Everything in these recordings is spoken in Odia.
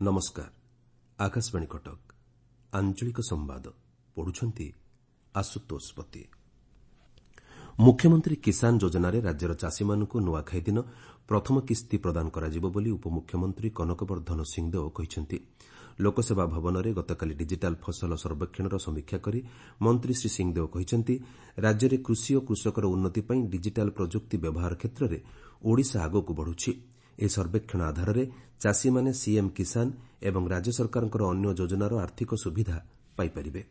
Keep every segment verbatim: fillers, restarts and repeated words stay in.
ନମସ୍କାର, ଆକାଶବାଣୀ କଟକ। ଆଞ୍ଚଳିକ ସମ୍ବାଦ ପଢୁଛନ୍ତି ଆଶୁତୋଷ ପତି। ମୁଖ୍ୟମନ୍ତ୍ରୀ କିଷାନ ଯୋଜନାରେ ରାଜ୍ୟର ଚାଷୀମାନଙ୍କୁ ନୂଆଖାଇ ଦିନ ପ୍ରଥମ କିସ୍ତି ପ୍ରଦାନ କରାଯିବ ବୋଲି ଉପମୁଖ୍ୟମନ୍ତ୍ରୀ କନକ ବର୍ଦ୍ଧନ ସିଂହଦେଓ କହିଛନ୍ତି। ଲୋକସେବା ଭବନରେ ଗତକାଲି ଡିଜିଟାଲ୍ ଫସଲ ସର୍ବେକ୍ଷଣର ସମୀକ୍ଷା କରି ମନ୍ତ୍ରୀ ଶ୍ରୀ ସିଂହଦେଓ କହିଛନ୍ତି, ରାଜ୍ୟରେ କୃଷି ଓ କୃଷକର ଉନ୍ନତି ପାଇଁ ଡିଜିଟାଲ୍ ପ୍ରଯୁକ୍ତି ବ୍ୟବହାର କ୍ଷେତ୍ରରେ ଓଡ଼ିଶା ଆଗକୁ ବଢୁଛି। ଏହି ସର୍ବେକ୍ଷଣ ଆଧାରରେ ଚାଷୀମାନେ ସିଏମ୍ କିଷାନ ଏବଂ ରାଜ୍ୟ ସରକାରଙ୍କର ଅନ୍ୟ ଯୋଜନାର ଆର୍ଥିକ ସୁବିଧା ପାଇପାରିବେ।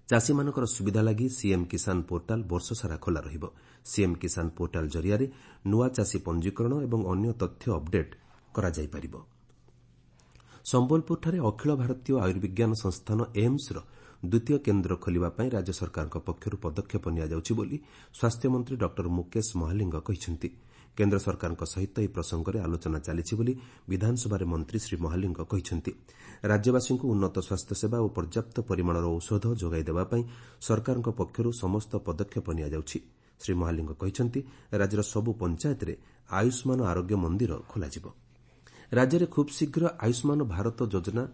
ଚାଷୀମାନଙ୍କର ସୁବିଧା ଲାଗି ସିଏମ୍ କିଷାନ ପୋର୍ଟାଲ୍ ବର୍ଷସାରା ଖୋଲା ରହିବ। ସିଏମ୍ କିଷାନ ପୋର୍ଟାଲ୍ ଜରିଆରେ ନୂଆ ଚାଷୀ ପଞ୍ଜୀକରଣ ଏବଂ ଅନ୍ୟ ତଥ୍ୟ ଅପ୍ଡେଟ୍ କରାଯାଇପାରିବ। ସମ୍ବଲପୁରଠାରେ ଅଖିଳ ଭାରତୀୟ ଆୟୁର୍ବିଜ୍ଞାନ ସଂସ୍ଥାନ ଏମ୍ସର ଦ୍ୱିତୀୟ କେନ୍ଦ୍ର ଖୋଲିବା ପାଇଁ ରାଜ୍ୟ ସରକାରଙ୍କ ପକ୍ଷରୁ ପଦକ୍ଷେପ ନିଆଯାଉଛି ବୋଲି ସ୍ୱାସ୍ଥ୍ୟମନ୍ତ୍ରୀ ଡକ୍ଟର ମୁକେଶ ମହାଲିଙ୍ଗ କହିଛନ୍ତି। କେନ୍ଦ୍ର ସରକାରଙ୍କ ସହିତ ଏହି ପ୍ରସଙ୍ଗରେ ଆଲୋଚନା ଚାଲିଛି ବୋଲି ବିଧାନସଭାରେ ମନ୍ତ୍ରୀ ଶ୍ରୀ ମହାଲିଙ୍ଗ କହିଛନ୍ତି। ରାଜ୍ୟବାସୀଙ୍କୁ ଉନ୍ନତ ସ୍ୱାସ୍ଥ୍ୟସେବା ଓ ପର୍ଯ୍ୟାପ୍ତ ପରିମାଣର ଔଷଧ ଯୋଗାଇ ଦେବା ପାଇଁ ସରକାରଙ୍କ ପକ୍ଷରୁ ସମସ୍ତ ପଦକ୍ଷେପ ନିଆଯାଉଛି। ଶ୍ରୀ ମହାଲିଙ୍ଗ କହିଛନ୍ତି, ରାଜ୍ୟର ସବୁ ପଞ୍ଚାୟତରେ ଆୟୁଷ୍ମାନ ଆରୋଗ୍ୟ ମନ୍ଦିର ଖୋଲାଯିବ। ରାଜ୍ୟରେ ଖୁବ୍ ଶୀଘ୍ର ଆୟୁଷ୍ମାନ ଭାରତ ଯୋଜନା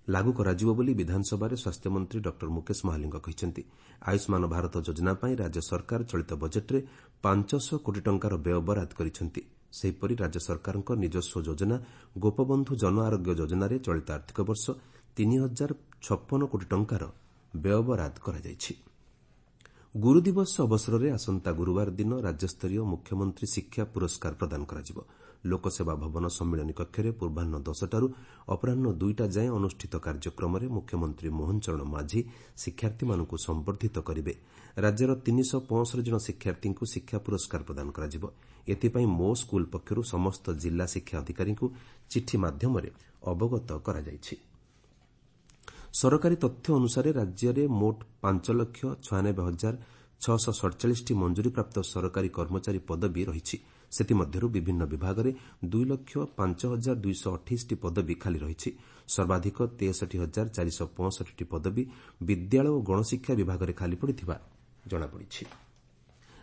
ଲାଗୁ କରାଯିବ ବୋଲି ବିଧାନସଭାରେ ସ୍ୱାସ୍ଥ୍ୟମନ୍ତ୍ରୀ ଡକ୍ଟର ମୁକେଶ ମହାଲିଙ୍ଗ କହିଛନ୍ତି। ଆୟୁଷ୍ମାନ ଭାରତ ଯୋଜନା ପାଇଁ ରାଜ୍ୟ ସରକାର ଚଳିତ ବଜେଟ୍ରେ ପାଞ୍ଚଶହ କୋଟି ଟଙ୍କାର ବ୍ୟୟ ବରାଦ କରିଛନ୍ତି। ସେହିପରି ରାଜ୍ୟ ସରକାରଙ୍କ ନିଜସ୍ୱ ଯୋଜନା ଗୋପବନ୍ଧୁ ଜନ ଆରୋଗ୍ୟ ଯୋଜନାରେ ଚଳିତ ଆର୍ଥିକ ବର୍ଷ ତିନି ହଜାର ଛପନ କୋଟି ଟଙ୍କାର ବ୍ୟୟ ବରାଦ କରାଯାଇଛି। ଗୁରୁଦିବସ ଅବସରରେ ଆସନ୍ତା ଗୁରୁବାର ଦିନ ରାଜ୍ୟସ୍ତରୀୟ ମୁଖ୍ୟମନ୍ତ୍ରୀ ଶିକ୍ଷା ପୁରସ୍କାର ପ୍ରଦାନ କରାଯିବ। ଲୋକସେବା ଭବନ ସମ୍ମିଳନୀ କକ୍ଷରେ ପୂର୍ବାହ୍ନ ଦଶଟାରୁ ଅପରାହ୍ନ ଦୁଇଟା ଯାଏଁ ଅନୁଷ୍ଠିତ କାର୍ଯ୍ୟକ୍ରମରେ ମୁଖ୍ୟମନ୍ତ୍ରୀ ମୋହନ ଚରଣ ମାଝୀ ଶିକ୍ଷାର୍ଥୀମାନଙ୍କୁ ସମ୍ବର୍ଦ୍ଧିତ କରିବେ। ରାଜ୍ୟର ତିନିଶହ ପଞ୍ଚଷଠି ଜଣ ଶିକ୍ଷାର୍ଥୀଙ୍କୁ ଶିକ୍ଷା ପୁରସ୍କାର ପ୍ରଦାନ କରାଯିବ। ଏଥିପାଇଁ ମୋ ସ୍କୁଲ ପକ୍ଷରୁ ସମସ୍ତ ଜିଲ୍ଲା ଶିକ୍ଷା ଅଧିକାରୀଙ୍କୁ ଚିଠି ମାଧ୍ୟମରେ ଅବଗତ କରାଯାଇଛି। ସରକାରୀ ତଥ୍ୟ ଅନୁସାରେ ରାଜ୍ୟରେ ମୋଟ ପାଞ୍ଚ ଲକ୍ଷ ଛୟାନବେ ହଜାର ଛଅଶହ ସଡ଼ଚାଳିଶଟି ମଞ୍ଜୁରୀପ୍ରାପ୍ତ ସରକାରୀ କର୍ମଚାରୀ ପଦବୀ ରହିଛି। ସେଥିମଧ୍ୟରୁ ବିଭିନ୍ନ ବିଭାଗରେ ଦୁଇ ଲକ୍ଷ ପାଞ୍ଚ ହଜାର ଦୁଇଶହ ଅଠେଇଶଟି ପଦବୀ ଖାଲି ରହିଛି। ସର୍ବାଧିକ ତେଷଠି ହଜାର ଚାରିଶହ ପଞ୍ଚଷଠିଟି ପଦବୀ ବିଦ୍ୟାଳୟ ଓ ଗଣଶିକ୍ଷା ବିଭାଗରେ ଖାଲି ପଡ଼ିଥିବା ଜଣାପଡ଼ିଛି।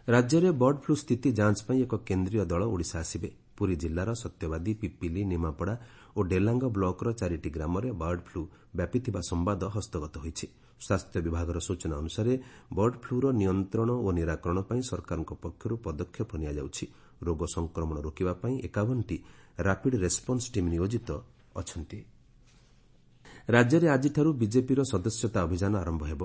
ରାଜ୍ୟରେ ବର୍ଡ ଫ୍ଲୁ ସ୍ଥିତି ଯାଞ୍ଚ ପାଇଁ ଏକ କେନ୍ଦ୍ରୀୟ ଦଳ ଓଡ଼ିଶା ଆସିବେ। ପୁରୀ ଜିଲ୍ଲାର ସତ୍ୟବାଦୀ, ପିପିଲି, ନିମାପଡ଼ା ଓ ଡେଲାଙ୍ଗ ବ୍ଲକର ଚାରିଟି ଗ୍ରାମରେ ବର୍ଡ ଫ୍ଲୁ ବ୍ୟାପିଥିବା ସମ୍ବାଦ ହସ୍ତଗତ ହୋଇଛି। ସ୍ୱାସ୍ଥ୍ୟ ବିଭାଗର ସୂଚନା ଅନୁସାରେ ବର୍ଡ ଫ୍ଲୁର ନିୟନ୍ତ୍ରଣ ଓ ନିରାକରଣ ପାଇଁ ସରକାରଙ୍କ ପକ୍ଷରୁ ପଦକ୍ଷେପ ନିଆଯାଉଛି। ରୋଗ ସଂକ୍ରମଣ ରୋକିବା ପାଇଁ ଏକାବନଟି ରାପିଡ୍ ରେସ୍ପନ୍ସ ଟିମ୍ ନିୟୋଜିତ ଅଛନ୍ତି। ରାଜ୍ୟରେ ଆଜିଠାରୁ ବିଜେପିର ସଦସ୍ୟତା ଅଭିଯାନ ଆରମ୍ଭ ହେବ।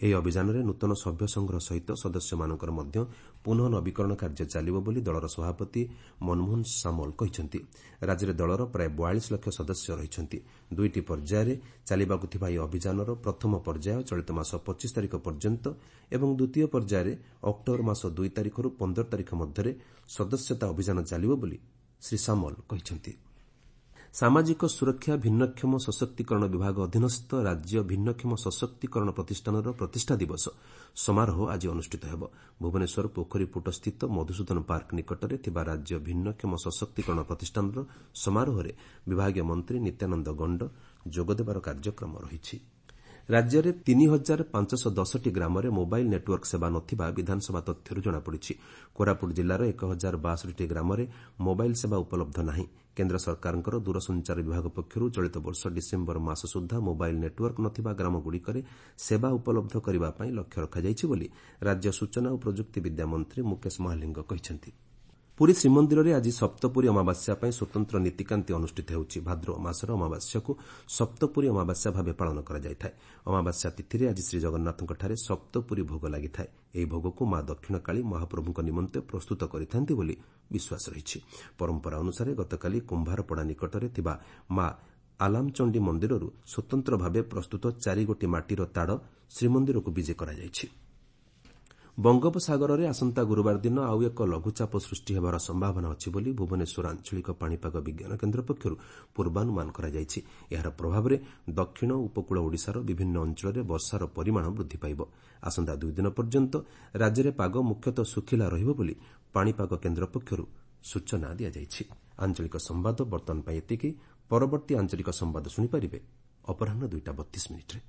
ଏହି ଅଭିଯାନରେ ନୂତନ ସଭ୍ୟ ସଂଗ୍ରହ ସହିତ ସଦସ୍ୟମାନଙ୍କର ମଧ୍ୟ ପୁନଃ ନବୀକରଣ କାର୍ଯ୍ୟ ଚାଲିବ ବୋଲି ଦଳର ସଭାପତି ମନମୋହନ ସାମଲ କହିଛନ୍ତି। ରାଜ୍ୟରେ ଦଳର ପ୍ରାୟ ବୟାଳିଶ ଲକ୍ଷ ସଦସ୍ୟ ରହିଛନ୍ତି। ଦୁଇଟି ପର୍ଯ୍ୟାୟରେ ଚାଲିବାକୁ ଥିବା ଏହି ଅଭିଯାନର ପ୍ରଥମ ପର୍ଯ୍ୟାୟ ଚଳିତ ମାସ ପଚିଶ ତାରିଖ ପର୍ଯ୍ୟନ୍ତ ଏବଂ ଦ୍ୱିତୀୟ ପର୍ଯ୍ୟାୟରେ ଅକ୍ଟୋବର ମାସ ଦୁଇ ତାରିଖରୁ ପନ୍ଦର ତାରିଖ ମଧ୍ୟରେ ସଦସ୍ୟତା ଅଭିଯାନ ଚାଲିବ ବୋଲି ଶ୍ରୀ ସାମଲ କହିଛନ୍ତି। ସାମାଜିକ ସୁରକ୍ଷା ଭିନ୍ନକ୍ଷମ ସଶକ୍ତିକରଣ ବିଭାଗ ଅଧୀନସ୍ଥ ରାଜ୍ୟ ଭିନ୍ନକ୍ଷମ ସଶକ୍ତିକରଣ ପ୍ରତିଷ୍ଠାନର ପ୍ରତିଷ୍ଠା ଦିବସ ସମାରୋହ ଆଜି ଅନୁଷ୍ଠିତ ହେବ। ଭୁବନେଶ୍ୱର ପୋଖରୀପୁଟସ୍ଥିତ ମଧୁସୂଦନ ପାର୍କ ନିକଟରେ ଥିବା ରାଜ୍ୟ ଭିନ୍ନକ୍ଷମ ସଶକ୍ତିକରଣ ପ୍ରତିଷ୍ଠାନର ସମାରୋହରେ ବିଭାଗୀୟ ମନ୍ତ୍ରୀ ନିତ୍ୟାନନ୍ଦ ଗଣ୍ଡ ଯୋଗଦେବାର କାର୍ଯ୍ୟକ୍ରମ ରହିଛି। ରାଜ୍ୟରେ ତିନି ହଜାର ପାଞ୍ଚଶହ ଦଶଟି ଗ୍ରାମରେ ମୋବାଇଲ୍ ନେଟ୍ୱର୍କ ସେବା ନଥିବା ବିଧାନସଭା ତଥ୍ୟରୁ ଜଣାପଡ଼ିଛି। କୋରାପୁଟ ଜିଲ୍ଲାର ଏକ ହଜାର ବାଷଠିଟି ଗ୍ରାମରେ ମୋବାଇଲ୍ ସେବା ଉପଲବ୍ଧ ନାହିଁ। କେନ୍ଦ୍ର ସରକାରଙ୍କର ଦୂରସଞ୍ଚାର ବିଭାଗ ପକ୍ଷରୁ ଚଳିତ ବର୍ଷ ଡିସେମ୍ବର ମାସ ସୁଦ୍ଧା ମୋବାଇଲ୍ ନେଟ୍ୱର୍କ ନଥିବା ଗ୍ରାମଗୁଡ଼ିକରେ ସେବା ଉପଲବ୍ଧ କରିବା ପାଇଁ ଲକ୍ଷ୍ୟ ରଖାଯାଇଛି ବୋଲି ରାଜ୍ୟ ସୂଚନା ଓ ପ୍ରଯୁକ୍ତି ବିଦ୍ୟା ମନ୍ତ୍ରୀ ମୁକେଶ ମହାଲିଙ୍ଗ କହିଛନ୍ତି। ପୁରୀ ଶ୍ରୀମନ୍ଦିରରେ ଆଜି ସପ୍ତପୁରୀ ଅମାବାସ୍ୟା ପାଇଁ ସ୍ୱତନ୍ତ୍ର ନୀତିକାନ୍ତି ଅନୁଷ୍ଠିତ ହେଉଛି। ଭାଦ୍ରବ ମାସର ଅମାବାସ୍ୟାକୁ ସପ୍ତପୁରୀ ଅମାବାସ୍ୟା ଭାବେ ପାଳନ କରାଯାଇଥାଏ। ଅମାବାସ୍ୟା ତିଥିରେ ଆଜି ଶ୍ରୀଜଗନ୍ନାଥଙ୍କଠାରେ ସପ୍ତପୁରୀ ଭୋଗ ଲାଗିଥାଏ। ଏହି ଭୋଗକୁ ମା ଦକ୍ଷିଣକାଳୀ ମହାପ୍ରଭୁଙ୍କ ନିମନ୍ତେ ପ୍ରସ୍ତୁତ କରିଥାନ୍ତି ବୋଲି ବିଶ୍ୱାସ ରହିଛି। ପରମ୍ପରା ଅନୁସାରେ ଗତକାଲି କୁମ୍ଭାରପଡ଼ା ନିକଟରେ ଥିବା ମା ଆଲାମଚଣ୍ଡୀ ମନ୍ଦିରରୁ ସ୍ୱତନ୍ତ୍ର ଭାବେ ପ୍ରସ୍ତୁତ ଚାରିଗୋଟି ମାଟିର ତାଡ଼ ଶ୍ରୀମନ୍ଦିରକୁ ବିଜେ କରାଯାଇଛି। ବଙ୍ଗୋପସାଗରରେ ଆସନ୍ତା ଗୁରୁବାର ଦିନ ଆଉ ଏକ ଲଘୁଚାପ ସୃଷ୍ଟି ହେବାର ସମ୍ଭାବନା ଅଛି ବୋଲି ଭୁବନେଶ୍ୱର ଆଞ୍ଚଳିକ ପାଣିପାଗ ବିଜ୍ଞାନ କେନ୍ଦ୍ର ପକ୍ଷରୁ ପୂର୍ବାନୁମାନ କରାଯାଇଛି। ଏହାର ପ୍ରଭାବରେ ଦକ୍ଷିଣ ଉପକୂଳ ଓଡ଼ିଶାର ବିଭିନ୍ନ ଅଞ୍ଚଳରେ ବର୍ଷାର ପରିମାଣ ବୃଦ୍ଧି ପାଇବ। ଆସନ୍ତା ଦୁଇଦିନ ପର୍ଯ୍ୟନ୍ତ ରାଜ୍ୟରେ ପାଗ ମୁଖ୍ୟତଃ ଶୁଖିଲା ରହିବ ବୋଲି ପାଣିପାଗ କେନ୍ଦ୍ର ପକ୍ଷରୁ ସୂଚନା ଦିଆଯାଇଛି। ଆଞ୍ଚଳିକ ସମ୍ବାଦ ବର୍ତ୍ତମାନ ପାଇଁ ଏତିକି। ପରବର୍ତ୍ତୀ ଆଞ୍ଚଳିକ ସମ୍ବାଦ ଶୁଣିପାରିବେ ଅପରାହ୍ନ ଦୁଇଟା ବତିଶ ମିନିଟ୍ରେ।